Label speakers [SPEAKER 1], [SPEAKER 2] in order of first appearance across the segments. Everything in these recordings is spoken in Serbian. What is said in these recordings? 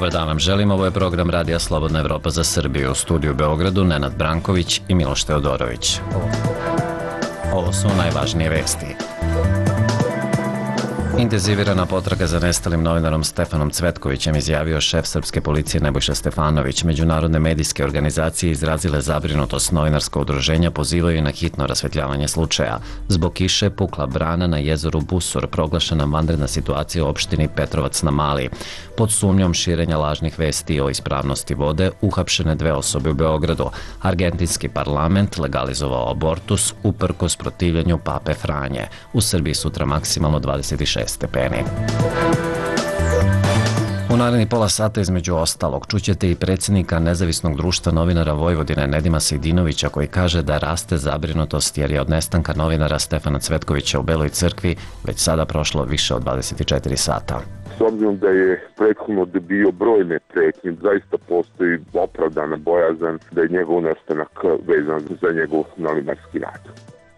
[SPEAKER 1] Dobar dan vam želim, ovo je program Radija Slobodna Evropa za Srbiju. U studiju u Beogradu Nenad Branković i Miloš Teodorović. Ovo su najvažnije vesti. Intenzivirana potraga za nestalim novinarom Stefanom Cvetkovićem, izjavio šef srpske policije Nebojša Stefanović. Međunarodne medijske organizacije izrazile zabrinutost. Novinarska udruženja pozivaju na hitno rasvetljavanje slučaja. Zbog kiše pukla brana na jezeru Busur, proglašena vanredna situacija u opštini Petrovac na Mali. Pod sumnjom širenja lažnih vesti o ispravnosti vode uhapšene 2 osobe u Beogradu. Argentinski parlament legalizovao abortus uprkos protivljenju Pape Franje. U Srbiji sutra maksimalno 26 stepeni. U narednih pola sata između ostalog čućete i predsjednika Nezavisnog društva novinara Vojvodine Nedima Sejdinovića, koji kaže da raste zabrinutost jer je od nestanka novinara Stefana Cvetkovića u Beloj crkvi već sada prošlo više od 24 sata.
[SPEAKER 2] S obzirom da je prethodno bio brojne pretnje, zaista postoji opravdana bojazan da je njegov nestanak vezan za njegov novinarski rad.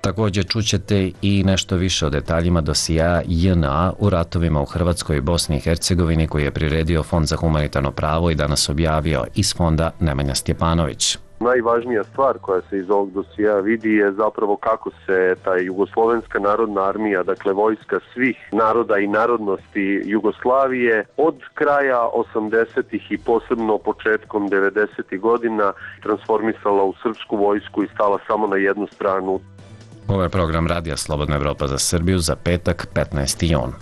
[SPEAKER 1] Također čućete i nešto više o detaljima dosija JNA u ratovima u Hrvatskoj i Bosni i Hercegovini, koji je priredio Fond za humanitarno pravo i danas objavio iz fonda Nemanja Stjepanović.
[SPEAKER 3] Najvažnija stvar koja se iz ovog dosija vidi je zapravo kako se ta Jugoslovenska narodna armija, dakle vojska svih naroda i narodnosti Jugoslavije, od kraja 80-ih i posebno početkom 90-ih godina transformisala u srpsku vojsku i stala samo na jednu stranu.
[SPEAKER 1] Ovo je program Radija Slobodna Evropa za Srbiju za petak 15. jun.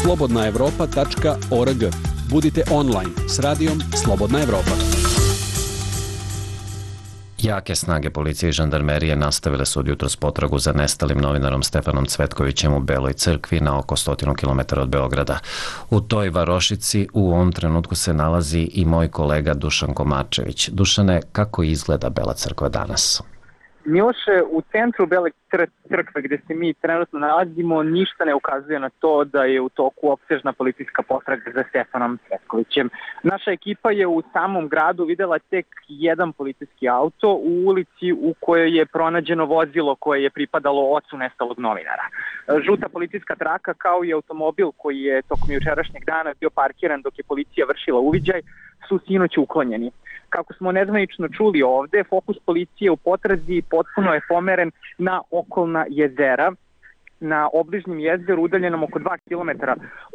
[SPEAKER 4] slobodnaevropa.org. Budite online s radijom Slobodna Evropa.
[SPEAKER 1] Jake snage policije i žandarmerije nastavile su od jutros potragu za nestalim novinarom Stefanom Cvetkovićem u Beloj crkvi na oko 100 km od Beograda. U toj varošici u ovom trenutku se nalazi i moj kolega Dušan Komarčević. Dušane, kako izgleda Bela crkva danas?
[SPEAKER 5] Miloše, u centru Bele crkve gdje se mi trenutno nalazimo ništa ne ukazuje na to da je u toku opsežna policijska potraga za Stefanom Cvetkovićem. Naša ekipa je u samom gradu videla tek jedan policijski auto u ulici u kojoj je pronađeno vozilo koje je pripadalo ocu nestalog novinara. Žuta policijska traka kao i automobil koji je tokom jučerašnjeg dana bio parkiran dok je policija vršila uviđaj su sinoć uklonjeni. Kako smo nezvanično čuli ovde, fokus policije u potrazi potpuno je pomeren na okolna jezera. Na obližnjem jezeru, udaljenom oko 2 km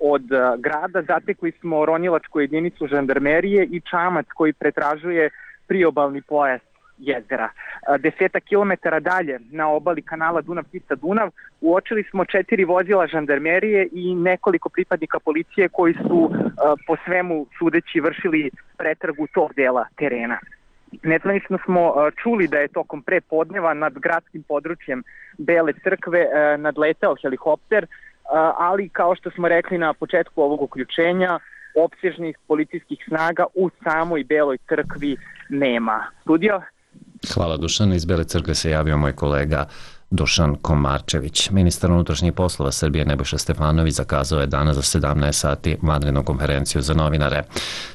[SPEAKER 5] od grada, zatekli smo ronilačku jedinicu žandarmerije i čamac koji pretražuje priobalni pojas jezera. 10 kilometara dalje, na obali kanala Dunav-Tisa-Dunav, uočili smo 4 vozila žandarmerije i nekoliko pripadnika policije koji su po svemu sudeći vršili pretragu tog dela terena. Nezvanično smo čuli da je tokom prepodneva nad gradskim područjem Bele crkve nadletao helikopter, ali kao što smo rekli na početku ovog uključenja, opsežnih policijskih snaga u samoj Beloj crkvi nema. Studio?
[SPEAKER 1] Hvala Dušan, iz Bele crkve se javio moj kolega Dušan Komarčević. Ministar unutrašnjih poslova Srbije Nebojša Stefanović zakazao je danas za 17 sati vanrednu konferenciju za novinare.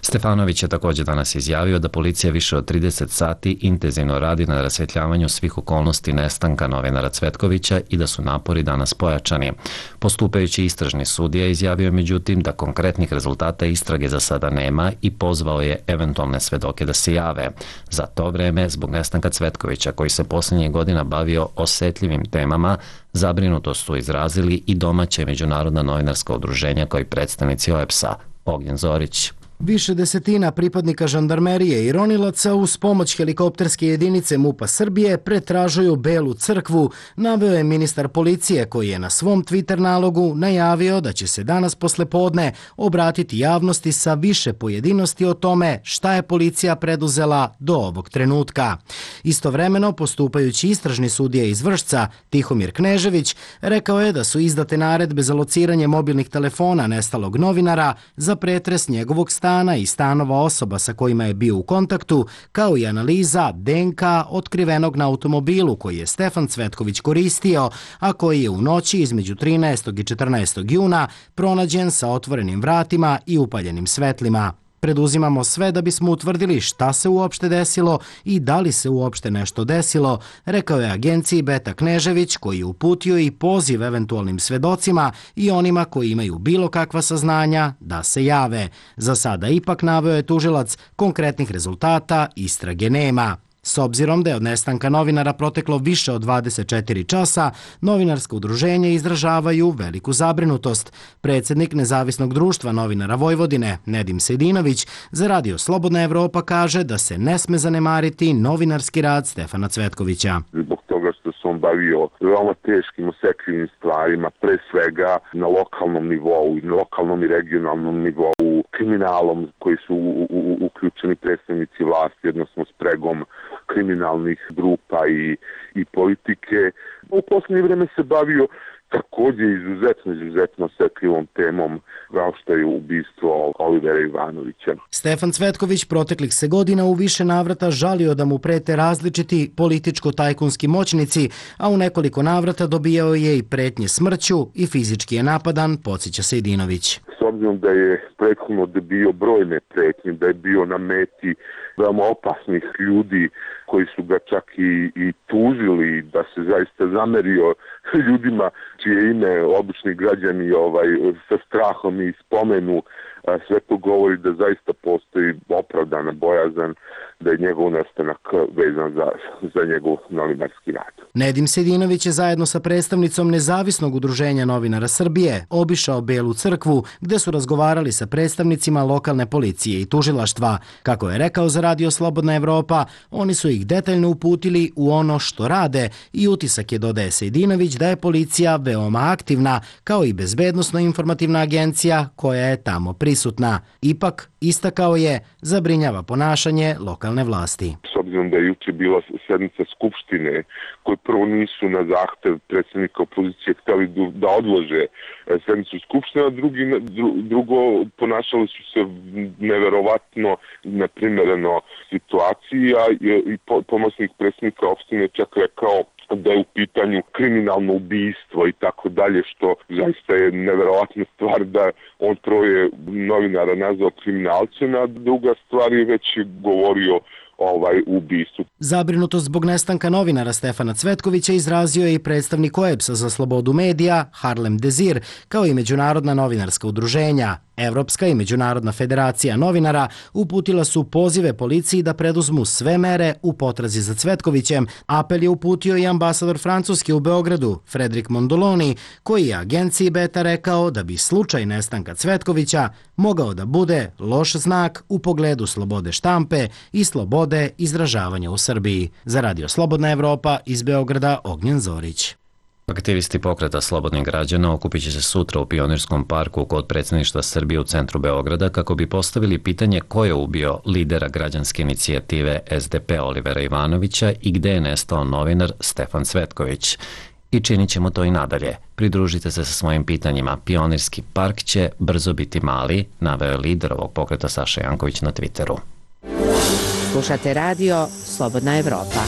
[SPEAKER 1] Stefanović je također danas izjavio da policija više od 30 sati intenzivno radi na rasvjetljavanju svih okolnosti nestanka novinara Cvetkovića i da su napori danas pojačani. Postupajući istražni sudija izjavio međutim da konkretnih rezultata istrage za sada nema i pozvao je eventualne svedoke da se jave. Za to vreme, zbog nestanka Cvetkovića, koji se posljednjih godina bavio osjetljivim temama, zabrinutost su izrazili i domaća i međunarodna novinarska udruženja kao i predstavnici OEPS-a. Ognjen Zorić.
[SPEAKER 6] Više desetina pripadnika žandarmerije i ronilaca uz pomoć helikopterske jedinice MUP-a Srbije pretražuju Belu crkvu, naveo je ministar policije koji je na svom Twitter nalogu najavio da će se danas poslepodne obratiti javnosti sa više pojedinosti o tome šta je policija preduzela do ovog trenutka. Istovremeno, postupajući istražni sudija iz Vršca, Tihomir Knežević, rekao je da su izdate naredbe za lociranje mobilnih telefona nestalog novinara za pretres njegovog stana i stanova osoba sa kojima je bio u kontaktu, kao i analiza DNK otkrivenog na automobilu koji je Stefan Cvetković koristio, a koji je u noći između 13. i 14. juna pronađen sa otvorenim vratima i upaljenim svetlima. preduzimamo sve da bismo utvrdili šta se uopšte desilo i da li se uopšte nešto desilo, rekao je agenciji Beta Knežević, koji je uputio i poziv eventualnim svedocima i onima koji imaju bilo kakva saznanja da se jave. Za sada ipak, naveo je tužilac, konkretnih rezultata istrage nema. S obzirom da je od nestanka novinara proteklo više od 24 časa, novinarska udruženja izražavaju veliku zabrinutost. Predsjednik Nezavisnog društva novinara Vojvodine, Nedim Sejdinović, za Radio Slobodna Evropa kaže da se ne sme zanemariti novinarski rad Stefana Cvetkovića.
[SPEAKER 2] Zbog toga što se on bavio veoma teškim, osetljivim stvarima, pre svega na lokalnom nivou, na lokalnom i regionalnom nivou, kriminalom koji su uključeni predstavnici vlasti, odnosno spregom kriminalnih grupa i politike. U posljednje vreme se bavio također izuzetno osetljivom temom kao što je ubistvo Olivera Ivanovića.
[SPEAKER 6] Stefan Cvetković proteklih se godina u više navrata žalio da mu prete različiti političko-tajkunski moćnici, a u nekoliko navrata dobijao je i pretnje smrću i fizički je napadan, podsjeća Sejdinović.
[SPEAKER 2] S obzirom da je prethodno bio brojne pretnje, da je bio na meti veoma opasnih ljudi koji su ga čak i tužili, da se zaista zamerio ljudima čije ime obični građani sa strahom i spomenu, sve to govori da zaista postoji opravdana bojazan da je njegov nestanak vezan za njegov novinarski rad.
[SPEAKER 6] Nedim Sejdinović je zajedno sa predstavnicom Nezavisnog udruženja novinara Srbije obišao Belu crkvu, gde su razgovarali sa predstavnicima lokalne policije i tužilaštva. Kako je rekao za Radio Slobodna Evropa, oni su ih detaljno uputili u ono što rade i utisak je, dodaje Sejdinović, da je policija veoma aktivna, kao i bezbednosno-informativna agencija koja je tamo prisutna. Ipak, istakao je, zabrinjava ponašanje lokalne vlasti.
[SPEAKER 2] S obzirom da je juče bila sednica Skupštine, koji prvo nisu na zahtev predsjednika opozicije htjeli da odlože sednicu Skupštine, a drugo ponašali su se neverovatno neprimereno situaciji, a i pomoćnik predsjednika opštine čak rekao da je u pitanju kriminalno ubistvo i tako dalje, što zaista je neverovatna stvar da on troje novinara nazvao kriminalcem, a druga stvar je već govorio ubistvu.
[SPEAKER 6] Zabrinutost zbog nestanka novinara Stefana Cvetkovića izrazio je i predstavnik OEBS-a za slobodu medija Harlem Dezir, kao i međunarodna novinarska udruženja. Evropska i Međunarodna federacija novinara uputila su pozive policiji da preduzmu sve mere u potrazi za Cvetkovićem. Apel je uputio i ambasador Francuske u Beogradu, Fredrik Mondoloni, koji je agenciji Beta rekao da bi slučaj nestanka Cvetkovića mogao da bude loš znak u pogledu slobode štampe i slobode izražavanja u Srbiji. Za Radio Slobodna Evropa iz Beograda, Ognjen Zorić.
[SPEAKER 1] Aktivisti pokreta slobodnih građana okupit će se sutra u Pionirskom parku kod predsjedništva Srbije u centru Beograda kako bi postavili pitanje ko je ubio lidera građanske inicijative SDP Olivera Ivanovića i gde je nestao novinar Stefan Cvetković. I činit ćemo to i nadalje. Pridružite se sa svojim pitanjima. Pionirski park će brzo biti mali, naveo je lider ovog pokreta Saša Janković na Twitteru.
[SPEAKER 7] Slušate radio Slobodna Evropa.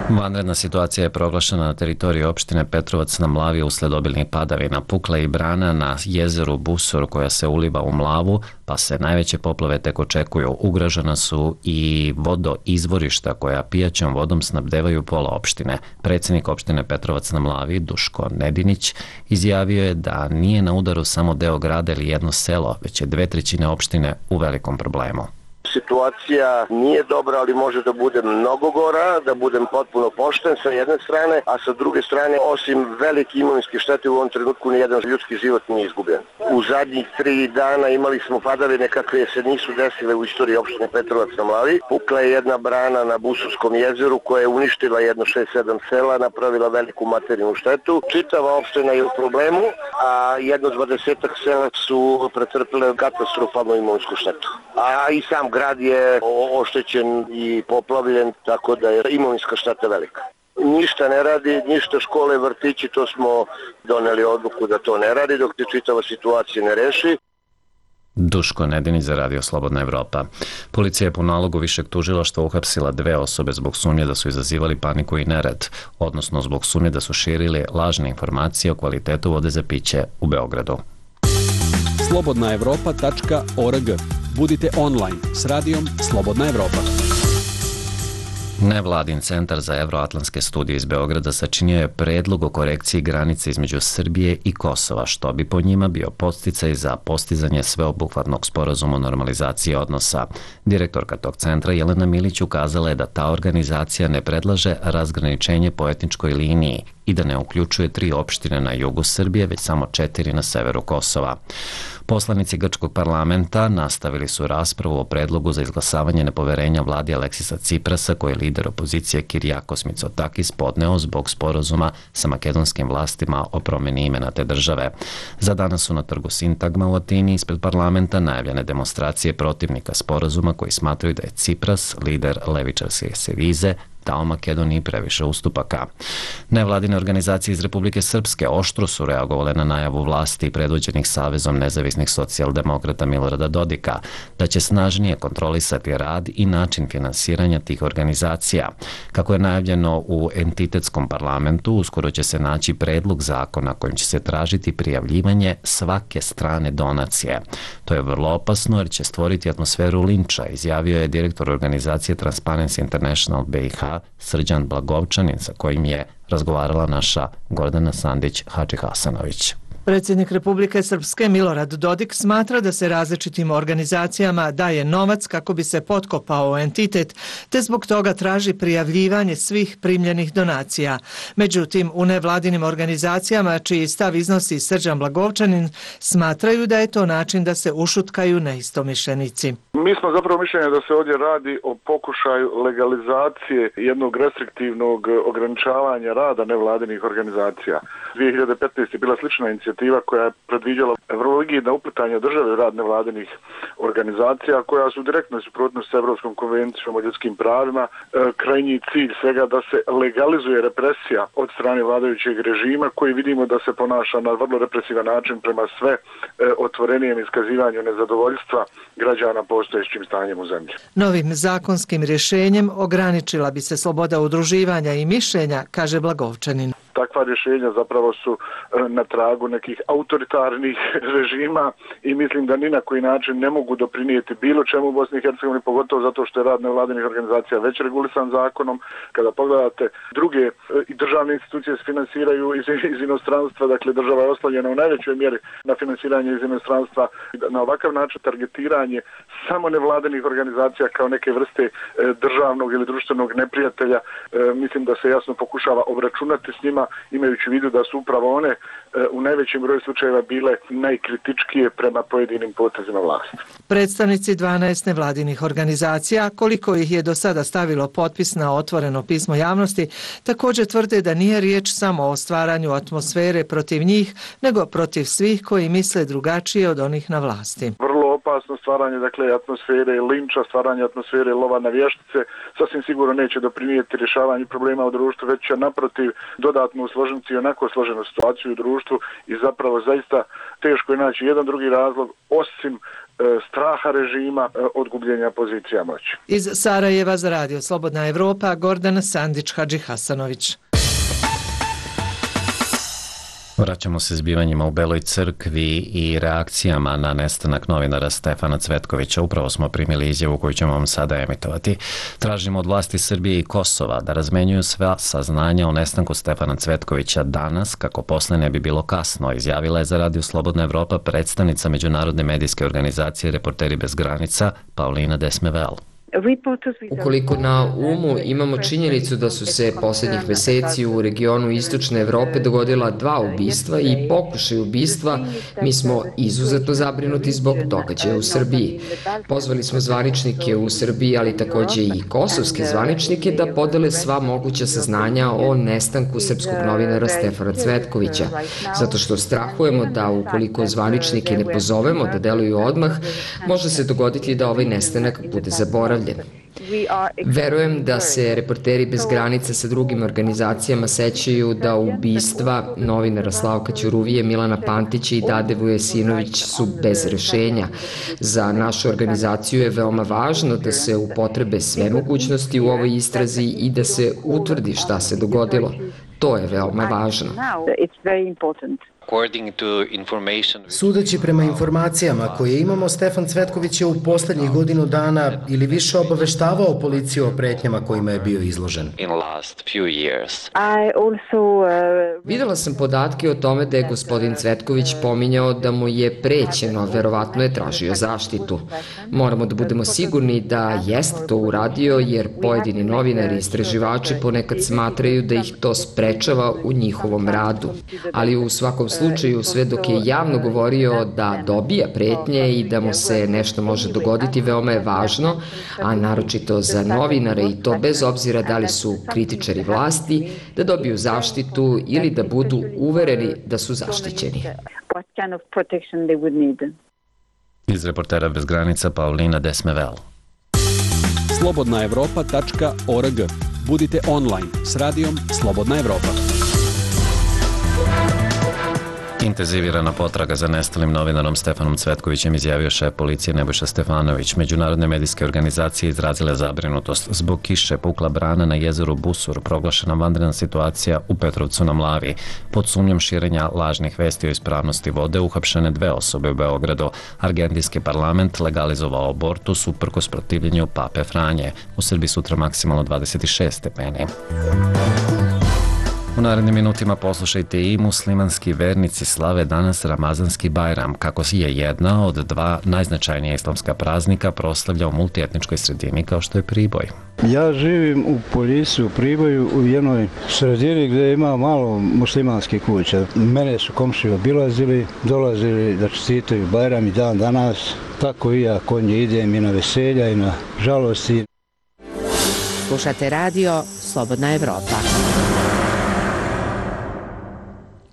[SPEAKER 1] Vanredna situacija je proglašena na teritoriji opštine Petrovac na Mlavi usled obilnih padavina. Pukla i brana na jezeru Busor koja se uliva u Mlavu, pa se najveće poplave tek očekuju. Ugrožena su i vodoizvorišta koja pijaćom vodom snabdevaju pola opštine. Predsjednik opštine Petrovac na Mlavi, Duško Nedinić, izjavio je da nije na udaru samo deo grada ili jedno selo, već je 2/3 opštine u velikom problemu.
[SPEAKER 8] Situacija nije dobra, ali može da bude mnogo gora, da budem potpuno pošten sa jedne strane, a sa druge strane, osim velike imovinske štete, u ovom trenutku nijedan ljudski život nije izgubljen. U zadnjih 3 dana imali smo padavine kakve se nisu desile u istoriji opštine Petrovac na Mlavi. Pukla je jedna brana na Busurskom jezeru koja je uništila jedno 6-7 sela, napravila veliku materijalnu štetu. Čitava opština je u problemu, a jedno 20 sela su pretrpile katastrofalnu imovinsku štetu. A i sam grad je oštećen i poplavljen, tako da je imovinska šteta velika. Ništa ne radi, ništa škole, vrtići, to smo doneli odluku da to ne radi dok se čitava situacija ne reši.
[SPEAKER 1] Duško Nedinić za Radio Slobodna Evropa. Policija je po nalogu višeg tužilaštva uhapsila 2 osobe zbog sumnje da su izazivali paniku i nered, odnosno zbog sumnje da su širili lažne informacije o kvalitetu vode za piće u Beogradu.
[SPEAKER 4] slobodnaevropa.org. Budite online s radijom Slobodna Evropa.
[SPEAKER 1] Nevladin centar za evroatlantske studije iz Beograda sačinio je predlog o korekciji granice između Srbije i Kosova, što bi po njima bio podsticaj za postizanje sveobuhvatnog sporazuma o normalizaciji odnosa. Direktorka tog centra Jelena Milić ukazala je da ta organizacija ne predlaže razgraničenje po etničkoj liniji i da ne uključuje 3 opštine na jugu Srbije, već samo 4 na severu Kosova. Poslanici grčkog parlamenta nastavili su raspravu o predlogu za izglasavanje nepoverenja vladi Aleksisa Ciprasa, koji je lider opozicije Kirijakos Mitsotakis podneo zbog sporazuma sa makedonskim vlastima o promjeni imena te države. Za danas su na trgu Sintagma u Atini ispred parlamenta najavljene demonstracije protivnika sporazuma koji smatraju da je Cipras, lider levičarske Sevize, dao Makedoniji previše ustupaka. Nevladine organizacije iz Republike Srpske oštro su reagovale na najavu vlasti predvođenih Savezom nezavisnih socijaldemokrata Milorada Dodika da će snažnije kontrolisati rad i način finansiranja tih organizacija. Kako je najavljeno u entitetskom parlamentu, uskoro će se naći predlog zakona kojim će se tražiti prijavljivanje svake strane donacije. To je vrlo opasno jer će stvoriti atmosferu linča, izjavio je direktor organizacije Transparency International BiH Srđan Blagovčanin, sa kojim je razgovarala naša Gordana Sandić-Hadžihasanović.
[SPEAKER 9] Predsjednik Republike Srpske Milorad Dodik smatra da se različitim organizacijama daje novac kako bi se potkopao entitet, te zbog toga traži prijavljivanje svih primljenih donacija. Međutim, u nevladinim organizacijama, čiji stav iznosi Srđan Blagovčanin, smatraju da je to način da se ušutkaju neistomišljenici.
[SPEAKER 10] Mi smo zapravo mišljenja da se ovdje radi o pokušaju legalizacije jednog restriktivnog ograničavanja rada nevladinih organizacija. 2015. je bila slična inicijativa koja je predviđala vrlo rigidna uplitanja države u rad nevladinih organizacija koja su u direktnoj suprotnosti s Evropskom konvencijom o ljudskim pravima. Krajnji cilj svega da se legalizuje represija od strane vladajućeg režima koji vidimo da se ponaša na vrlo represivan način prema sve otvorenijem iskazivanju nezadovoljstva građana postojećim stanjem u zemlji.
[SPEAKER 9] Novim zakonskim rješenjem ograničila bi se sloboda udruživanja i mišljenja, kaže Blagovčanin.
[SPEAKER 10] Takva rješenja zapravo su na tragu nekih autoritarnih režima i mislim da ni na koji način ne mogu doprinijeti bilo čemu u Bosni i Hercegovini, pogotovo zato što je rad nevladinih organizacija već regulisan zakonom. Kada pogledate druge i državne institucije se finansiraju iz inostranstva, dakle država je oslonjena u najvećoj mjeri na finansiranje iz inostranstva. Na ovakav način targetiranje samo nevladinih organizacija kao neke vrste državnog ili društvenog neprijatelja, mislim da se jasno pokušava obračunati s njima, imajući u vidu da su upravo one u najvećem broju slučajeva bile najkritičkije prema pojedinim potezima vlasti.
[SPEAKER 9] Predstavnici 12 nevladinih organizacija, koliko ih je do sada stavilo potpis na otvoreno pismo javnosti, također tvrde da nije riječ samo o stvaranju atmosfere protiv njih, nego protiv svih koji misle drugačije od onih na vlasti.
[SPEAKER 10] Vrlo opasno stvaranje atmosfere linča, stvaranje atmosfere lova na vještice sasvim sigurno neće doprinijeti rješavanju problema u društvu, već će naprotiv dodatno usložiti i onako složenu situaciju u društvu i zapravo zaista teško je naći jedan drugi razlog osim straha režima od gubljenja pozicija moći.
[SPEAKER 9] Iz Sarajeva za radio Slobodna Evropa, Gordana Sandić-Hadžihasanović.
[SPEAKER 1] Vraćamo se zbivanjima u Beloj crkvi i reakcijama na nestanak novinara Stefana Cvetkovića. Upravo smo primili izjavu koju ćemo vam sada emitovati. Tražimo od vlasti Srbije i Kosova da razmenjuju sva saznanja o nestanku Stefana Cvetkovića danas, kako posle ne bi bilo kasno, izjavila je za radio Slobodna Evropa predstavnica međunarodne medijske organizacije Reporteri bez granica Paulina Desmevel.
[SPEAKER 11] Ukoliko na umu imamo činjenicu da su se posljednjih meseci u regionu Istočne Evrope dogodila 2 ubistva i pokušaj ubistva, mi smo izuzetno zabrinuti zbog događaja u Srbiji. Pozvali smo zvaničnike u Srbiji, ali također i kosovske zvaničnike da podele sva moguća saznanja o nestanku srpskog novinara Stefana Cvetkovića, zato što strahujemo da ukoliko zvaničnike ne pozovemo da deluju odmah, može se dogoditi da ovaj nestanak bude zaboravljen. Verujem da se Reporteri bez granica sa drugim organizacijama sećaju da ubistva novinara Slavka Ćuruvije, Milana Pantića i Dade Vujasinović su bez rešenja. Za našu organizaciju je veoma važno da se upotrebe sve mogućnosti u ovoj istrazi i da se utvrdi šta se dogodilo. To je veoma važno.
[SPEAKER 6] Sudeći prema informacijama koje imamo, Stefan Cvetković je u poslednjih godinu dana ili više obaveštavao policiju o pretnjama kojima je bio izložen.
[SPEAKER 11] Videla sam podatke o tome da je gospodin Cvetković pominjao da mu je prećeno, verovatno je tražio zaštitu. Moramo da budemo sigurni da jeste to uradio, jer pojedini novinari i istraživači ponekad smatraju da ih to sprečava u njihovom radu. Ali u svakom slučaju, sve dok je javno govorio da dobija pretnje i da mu se nešto može dogoditi, veoma je važno, a naročito za novinare, i to bez obzira da li su kritičari vlasti, da dobiju zaštitu ili da budu uvereni da su zaštićeni.
[SPEAKER 1] Iz Reportera bez granica Paulina Desmevel.
[SPEAKER 4] slobodnaevropa.org. Budite online s radijom Slobodna Evropa.
[SPEAKER 1] Intenzivirana potraga za nestalim novinarom Stefanom Cvetkovićem, izjavio šef policije Nebojša Stefanović. Međunarodne medijske organizacije izrazile zabrinutost zbog kiše, pukla brana na jezeru Busur, proglašena vanredna situacija u Petrovcu na Mlavi. Pod sumnjom širenja lažnih vesti o ispravnosti vode uhapšene 2 osobe u Beogradu. Argentinski parlament legalizovao abortus uprkos protivljenju Pape Franje. U Srbiji sutra maksimalno 26 stepeni. U narednim minutima poslušajte i muslimanski vernici slave danas Ramazanski Bajram, kako je jedna od 2 najznačajnija islamska praznika proslavlja u multietničkoj sredini kao što je Priboj.
[SPEAKER 12] Ja živim u Poljisi, u Priboju, u jednoj sredini gdje ima malo muslimanskih kuća. Mene su komšije obilazili, dolazili da čestitaju Bajram i dan danas. Tako i ja kod nje idem i na veselja i na žalosti.
[SPEAKER 7] Slušate radio Slobodna Evropa.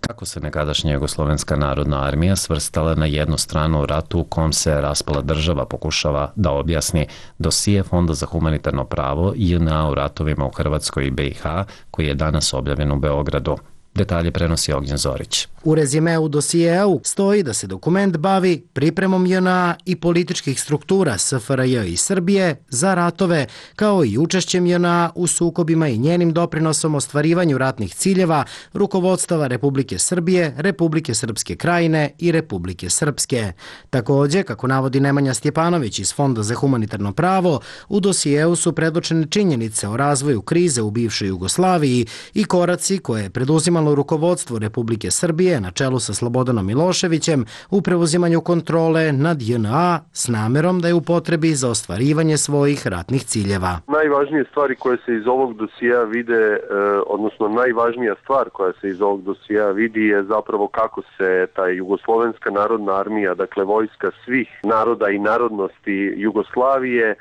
[SPEAKER 1] Kako se nekadašnja Jugoslovenska narodna armija svrstala na jednu stranu u ratu u kom se raspala država, pokušava da objasni dosije Fonda za humanitarno pravo JNA u ratovima u Hrvatskoj i BiH, koji je danas objavljen u Beogradu. Detalje prenosi Ognjen Zorić.
[SPEAKER 6] U rezimeu dosijeu stoji da se dokument bavi pripremom JNA i političkih struktura SFRJ i Srbije za ratove, kao i učešćem JNA u sukobima i njenim doprinosom ostvarivanju ratnih ciljeva rukovodstava Republike Srbije, Republike Srpske Krajine i Republike Srpske. Takođe, kako navodi Nemanja Stjepanović iz Fonda za humanitarno pravo, u dosijeu su predočene činjenice o razvoju krize u bivšoj Jugoslaviji i koraci koje je preduzimalo rukovodstvo Republike Srbije na čelu sa Slobodanom Miloševićem u preuzimanju kontrole nad JNA s namerom da je u potrebi za ostvarivanje svojih ratnih ciljeva.
[SPEAKER 3] Najvažnije stvari koje se iz ovog dosija vide, odnosno najvažnija stvar koja se iz ovog dosija vidi je zapravo kako se ta Jugoslovenska narodna armija, dakle vojska svih naroda i narodnosti Jugoslavije,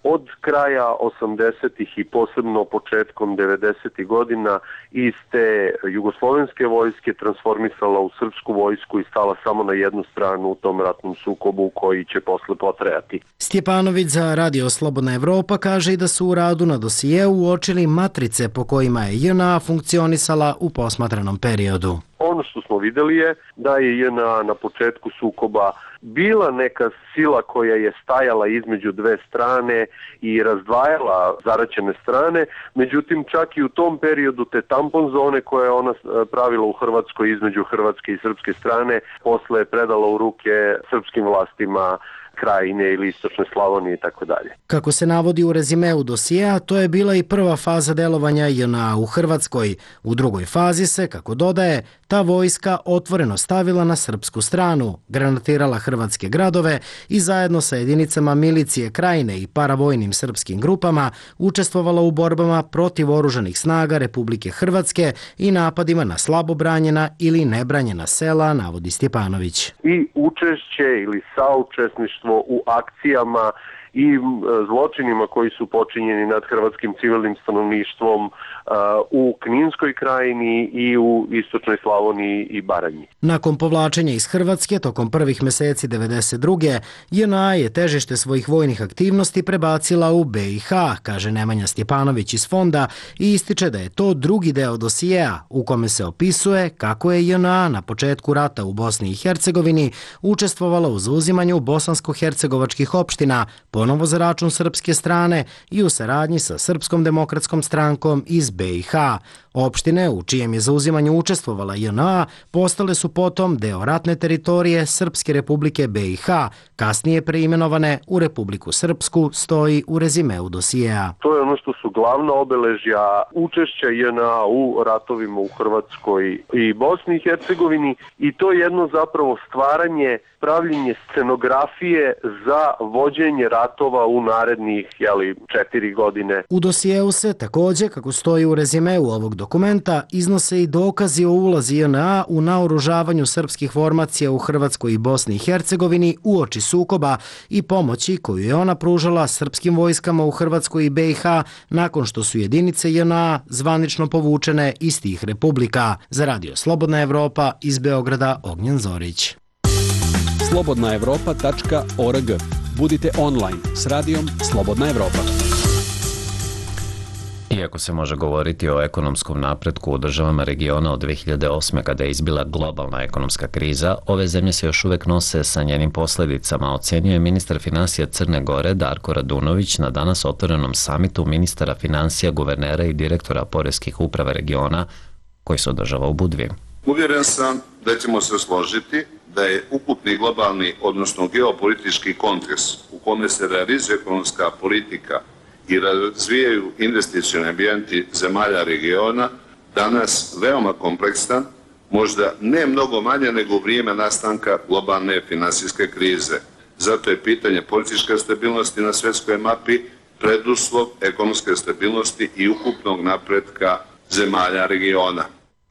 [SPEAKER 3] od kraja 80-ih i posebno početkom 90-ih godina iz te jugoslovenske vojske transformisala u srpsku vojsku i stala samo na jednu stranu u tom ratnom sukobu koji će posle potrajati.
[SPEAKER 6] Stjepanović za Radio Slobodna Evropa kaže i da su u radu na dosijeu uočili matrice po kojima je JNA funkcionisala u posmatranom periodu.
[SPEAKER 3] Ono što smo videli je da je JNA na početku sukoba bila neka sila koja je stajala između 2 strane i razdvajala zaraćene strane, međutim čak i u tom periodu te tampon zone koje je ona pravila u Hrvatskoj između hrvatske i srpske strane posle je predala u ruke srpskim vlastima Krajine ili Istočne Slavonije i tako dalje.
[SPEAKER 6] Kako se navodi u rezimeu dosijea, to je bila i prva faza delovanja JNA u Hrvatskoj. U drugoj fazi se, kako dodaje, ta vojska otvoreno stavila na srpsku stranu, granatirala hrvatske gradove i zajedno sa jedinicama milicije Krajine i paravojnim srpskim grupama učestvovala u borbama protiv oružanih snaga Republike Hrvatske i napadima na slabo branjena ili nebranjena sela, navodi Stjepanović.
[SPEAKER 3] I učešće ili saučesništvo u akcijama i zločinima koji su počinjeni nad hrvatskim civilnim stanovništvom u Kninskoj krajini i u Istočnoj Slavoniji i Baranji.
[SPEAKER 6] Nakon povlačenja iz Hrvatske tokom prvih meseci 92. JNA je težište svojih vojnih aktivnosti prebacila u BiH, kaže Nemanja Stjepanović iz Fonda i ističe da je to drugi deo dosijea u kome se opisuje kako je JNA na početku rata u Bosni i Hercegovini učestvovala u zauzimanju bosansko-hercegovačkih opština, ponovo za račun srpske strane i u saradnji sa Srpskom demokratskom strankom iz BiH. Opštine u čijem je zauzimanju učestvovala JNA postale su potom deo ratne teritorije Srpske republike BiH, kasnije preimenovane u Republiku Srpsku, stoji u rezimeu dosijeja.
[SPEAKER 3] To je ono što su glavna obeležja učešća JNA u ratovima u Hrvatskoj i Bosni i Hercegovini i to je jedno zapravo stvaranje, pravljenje scenografije za vođenje ratova u narednih 4 godine.
[SPEAKER 6] U dosijeu se također, kako stoji u rezimeu ovog dokumenta, iznose i dokazi o ulazi JNA u naoružavanju srpskih formacija u Hrvatskoj i Bosni i Hercegovini uoči sukoba i pomoći koju je ona pružala srpskim vojskama u Hrvatskoj i BiH nakon što su jedinice JNA zvanično povučene iz tih republika. Za Radio Slobodna Evropa iz Beograda, Ognjen Zorić.
[SPEAKER 4] slobodnaevropa.org. Budite online s radijom Slobodna Evropa.
[SPEAKER 1] Iako se može govoriti o ekonomskom napretku u državama regiona od 2008. kada je izbila globalna ekonomska kriza, ove zemlje se još uvek nose sa njenim posljedicama, ocenjuje ministar finansija Crne Gore Darko Radunović na danas otvorenom samitu ministara finansija, guvernera i direktora poreskih uprava regiona koji se održava u Budvi.
[SPEAKER 13] Uvjeren sam da ćemo se složiti da je ukupni globalni, odnosno geopolitički kontekst u kome se realizuje ekonomska politika i razvijaju investicioni ambijenti zemalja regiona danas veoma kompleksan, možda ne mnogo manje nego u vrijeme nastanka globalne finansijske krize. Zato je pitanje političke stabilnosti na svjetskoj mapi preduslov ekonomske stabilnosti i ukupnog napretka zemalja regiona.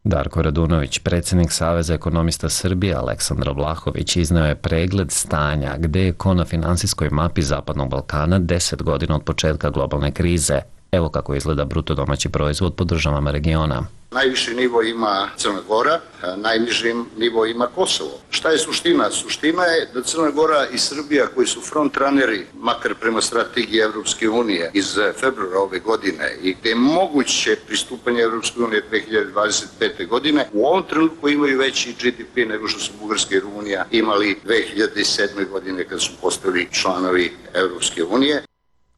[SPEAKER 1] Darko Radunović, predsjednik Saveza ekonomista Srbije Aleksandar Vlahović, izneo je pregled stanja gde je ko na finansijskoj mapi Zapadnog Balkana 10 godina od početka globalne krize. Evo kako izgleda bruto domaći proizvod po državama regiona.
[SPEAKER 14] Najviši nivo ima Crna Gora, najniži nivo ima Kosovo. Šta je suština? Suština je da Crna Gora i Srbija, koji su frontraneri, makar prema strategiji Evropske unije iz februara ove godine i gde je moguće pristupanje Evropske unije 2025. godine, u ovom trenutku imaju veći GDP nego što su Bugarska i Rumunija imali 2007. godine kad su postali članovi Evropske unije.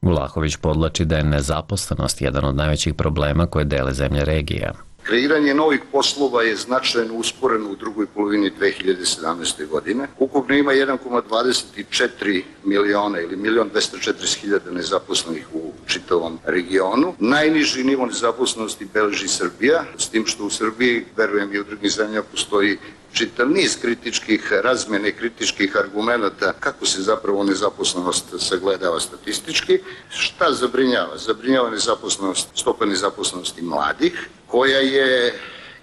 [SPEAKER 1] Vlahović podlači da je nezaposlenost jedan od najvećih problema koje dele zemlje regije.
[SPEAKER 14] Kreiranje novih poslova je značajno usporeno u drugoj polovini 2017. godine. Ukupno ima 1,24 miliona ili 1.240.000 nezaposlenih u čitavom regionu. Najniži nivo nezaposlenosti beleži Srbija, s tim što u Srbiji, verujem i u drugim zemljama, postoji čitav niz kritičkih razmjene, kritičkih argumenta kako se zapravo nezaposlenost sagledava statistički. Šta zabrinjava? Zabrinjava nezaposlenost, stopa nezaposlenosti mladih, koja je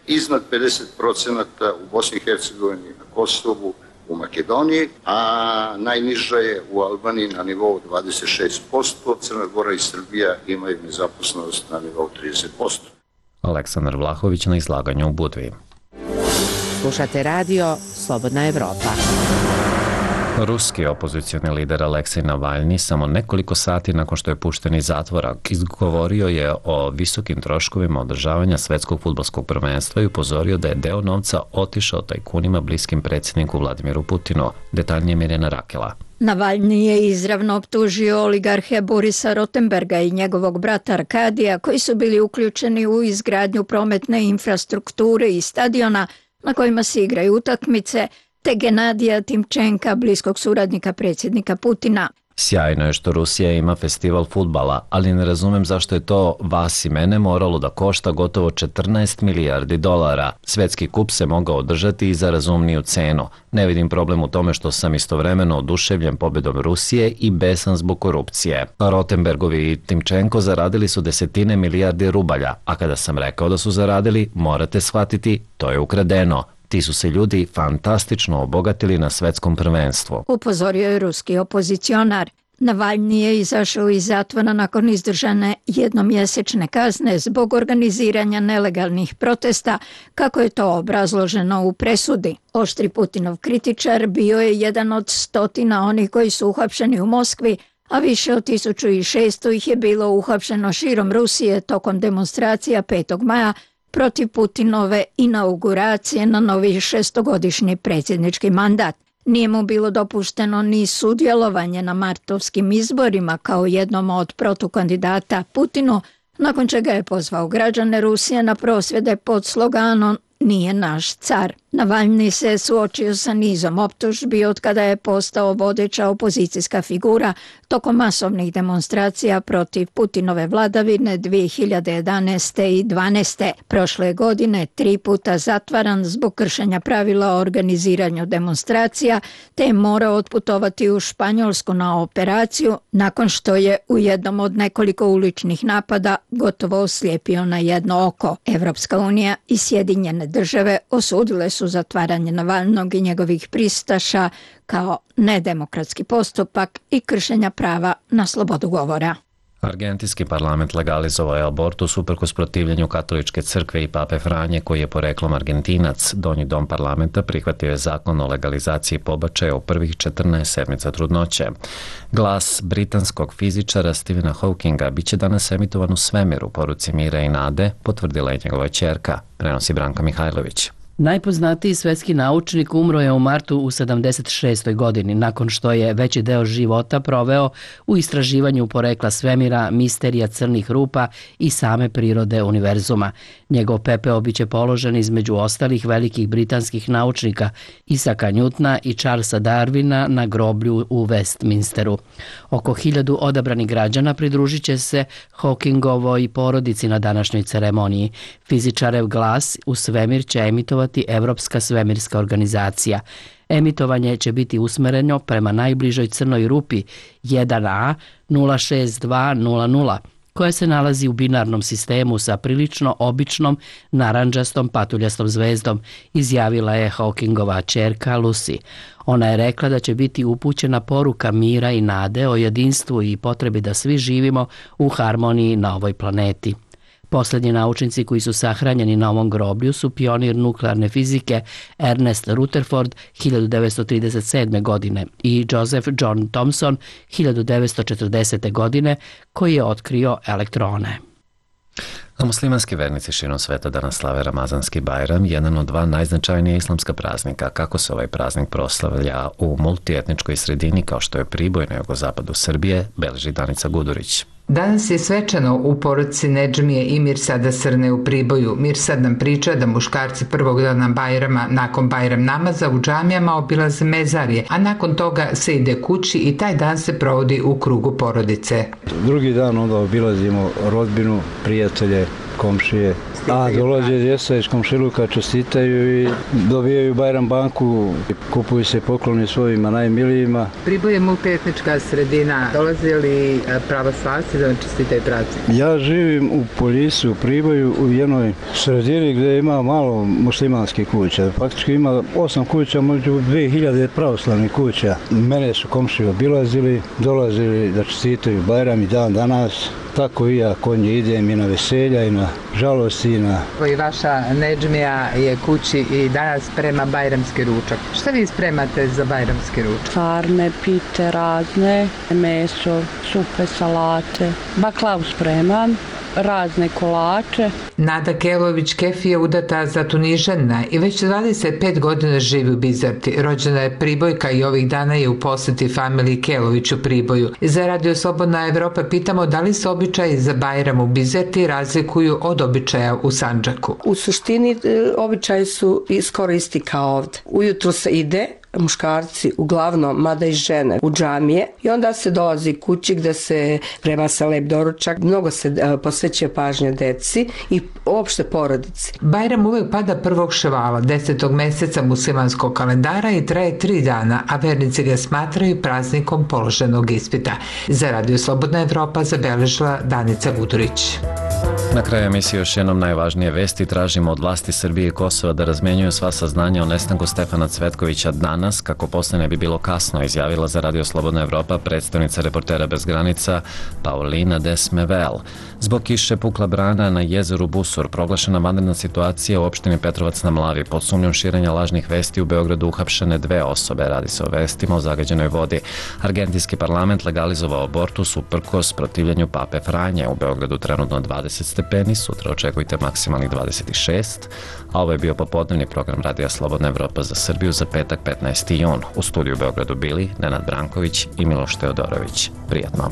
[SPEAKER 14] iznad 50% u Bosni i Hercegovini, na Kosovu, u Makedoniji, a najniža je u Albaniji na nivou 26%, Crna Gora i Srbija imaju nezaposlenost na nivou 30%.
[SPEAKER 1] Aleksandar Vlahović na izlaganju u Budvi.
[SPEAKER 7] Slušate radio Slobodna Evropa.
[SPEAKER 1] Ruski opozicioni lider Aleksej Navalni samo nekoliko sati nakon što je pušten iz zatvora izgovorio je o visokim troškovima održavanja svetskog fudbalskog prvenstva i upozorio da je deo novca otišao tajkunima bliskim predsjedniku Vladimiru Putinu. Detaljnije Mirjana Rakela.
[SPEAKER 15] Navalni je izravno optužio oligarhe Borisa Rotenberga i njegovog brata Arkadija, koji su bili uključeni u izgradnju prometne infrastrukture i stadiona na kojima se igraju utakmice, te Genadija Timčenka, bliskog suradnika predsjednika Putina.
[SPEAKER 1] Sjajno je što Rusija ima festival fudbala, ali ne razumem zašto je to vas i mene moralo da košta gotovo 14 milijardi dolara. Svetski kup se mogao održati i za razumniju cenu. Ne vidim problem u tome što sam istovremeno oduševljen pobjedom Rusije i besan zbog korupcije. Rotenbergovi i Timčenko zaradili su desetine milijardi rubalja, a kada sam rekao da su zaradili, morate shvatiti, to je ukradeno. Ti su se ljudi fantastično obogatili na svetskom prvenstvu.
[SPEAKER 15] Upozorio je ruski opozicionar. Navalni je izašao iz zatvora nakon izdržane jednomjesečne kazne zbog organiziranja nelegalnih protesta, kako je to obrazloženo u presudi. Oštri Putinov kritičar bio je jedan od stotina onih koji su uhapšeni u Moskvi, a više od 1600 ih je bilo uhapšeno širom Rusije tokom demonstracija 5. maja protiv Putinove inauguracije na novi šestogodišnji predsjednički mandat. Nije mu bilo dopušteno ni sudjelovanje na martovskim izborima kao jednom od protukandidata Putinu, nakon čega je pozvao građane Rusije na prosvjede pod sloganom "Nije naš car". Navalni se suočio sa nizom optužbi od kada je postao vodeća opozicijska figura tokom masovnih demonstracija protiv Putinove vladavine 2011. i 2012. Prošle godine 3 puta zatvaran zbog kršenja pravila o organiziranju demonstracija, te je morao otputovati u Španjolsku na operaciju nakon što je u jednom od nekoliko uličnih napada gotovo oslijepio na jedno oko. Evropska unija i Sjedinjene države osudile su zatvaranje Navalnog i njegovih pristaša kao nedemokratski postupak i kršenja prava na slobodu govora.
[SPEAKER 1] Argentinski parlament legalizovao je abortus uprkos protivljenju katoličke crkve i pape Franje, koji je poreklom Argentinac. Donji dom parlamenta prihvatio je zakon o legalizaciji pobačaja u prvih 14 sedmica trudnoće. Glas britanskog fizičara Stephena Hawkinga biće danas emitovan u svemiru, poruci mira i nade, potvrdila je njegova ćerka, prenosi Branka Mihajlović.
[SPEAKER 16] Najpoznatiji svetski naučnik umro je u martu u 76. godini, nakon što je veći deo života proveo u istraživanju porekla svemira, misterija crnih rupa i same prirode univerzuma. Njegov pepeo biće položen između ostalih velikih britanskih naučnika Isaka Newtona i Charlesa Darwina na groblju u Westminsteru. Oko 1000 odabranih građana pridružit će se Hawkingovoj porodici na današnjoj ceremoniji. Fizičarev glas u svemir će emitovati Evropska svemirska organizacija. Emitovanje će biti usmereno prema najbližoj crnoj rupi 1A 06200, koja se nalazi u binarnom sistemu sa prilično običnom narandžastom patuljastom zvezdom, izjavila je Hawkingova ćerka Lucy. Ona je rekla da će biti upućena poruka mira i nade o jedinstvu i potrebi da svi živimo u harmoniji na ovoj planeti. Poslednji naučnici koji su sahranjeni na ovom groblju su pionir nuklearne fizike Ernest Rutherford 1937. godine i Joseph John Thomson 1940. godine, koji je otkrio elektrone.
[SPEAKER 1] A muslimanski vernici širom sveta danas slave Ramazanski Bajram, jedan od 2 najznačajnija islamska praznika. Kako se ovaj praznik proslavlja u multietničkoj sredini kao što je Priboj na jugozapadu Srbije, beleži Danica Gudurić.
[SPEAKER 17] Danas je svečano u porodici Nedžmije i Mirsada Srne u Priboju. Mirsad nam priča da muškarci prvog dana Bajrama nakon Bajram namaza u džamijama obilaze mezarje, a nakon toga se ide kući i taj dan se provodi u krugu porodice.
[SPEAKER 12] Drugi dan onda obilazimo rodbinu, prijatelje, komšije, a dolaze djeca iz komšiluka, čestitaju i dobijaju Bajram banku, kupuju se pokloni svojima najmilijima.
[SPEAKER 17] Priboj je multietnička sredina. Dolaze li pravoslavci da vam čestitaju praznik?
[SPEAKER 12] Ja živim u Poljisi, u Priboju, u jednoj sredini gdje ima malo muslimanskih kuća. Faktički ima 8 kuća, među 2000 pravoslavnih kuća. Mene su komšije obilazili, dolazili da čestitaju Bajram i dan danas. Tako i ja kod nje idem i na veselja i na žalosti i na...
[SPEAKER 17] I vaša Nedžmija je kući i danas sprema bajramski ručak. Šta vi spremate za bajramski ručak?
[SPEAKER 18] Farne, pite razne, meso, supe, salate, baklavu spremam, razne kolače.
[SPEAKER 17] Nada Kelović-Kefi je udata za Tunižana i već 25 godina živi u Bizerti. Rođena je Pribojka i ovih dana je u posjeti familiji Kelović u Priboju. Za Radio Slobodna Evropa pitamo da li se običaji za Bajram u Bizerti razlikuju od običaja u Sandžaku.
[SPEAKER 18] U suštini običaji su skoro isti kao ovde. Ujutro se ide, muškarci uglavnom, mada i žene, u džamije i onda se dolazi kući gde se prema se lep doručak, mnogo se posvećuje pažnje deci i uopšte porodici.
[SPEAKER 17] Bajram uvek pada 1. Ševala, 10. meseca muslimanskog kalendara i traje 3 dana, a vernici ga smatraju praznikom položenog ispita. Za Radio Slobodna Evropa zabeležila Danica Gudurić.
[SPEAKER 1] Na kraju emisije još jednom najvažnije vesti. Tražimo od vlasti Srbije i Kosova da razmenjuju sva saznanja o nestanku Stefana Cvetkovića danas, kako posle ne bi bilo kasno, izjavila za Radio Slobodna Evropa predstavnica Reportera bez granica Paulina Desmevel. Zbog kiše pukla brana na jezeru Busur, proglašena vanredna situacija u opštini Petrovac na Mlavi. Pod sumnjom širenja lažnih vesti u Beogradu uhapšene 2 osobe. Radi se o vestima o zagađenoj vodi. Argentinski parlament legalizovao abortus uprkos protivljenju pape Franje. U Beogradu trenutno 20 stepeni, sutra očekujte maksimalnih 26, a ovo je bio popodnevni program Radija Slobodna Evropa za Srbiju za petak 15. jun. U studiju u Beogradu bili Nenad Branković i Miloš Teodorović. Prijatno.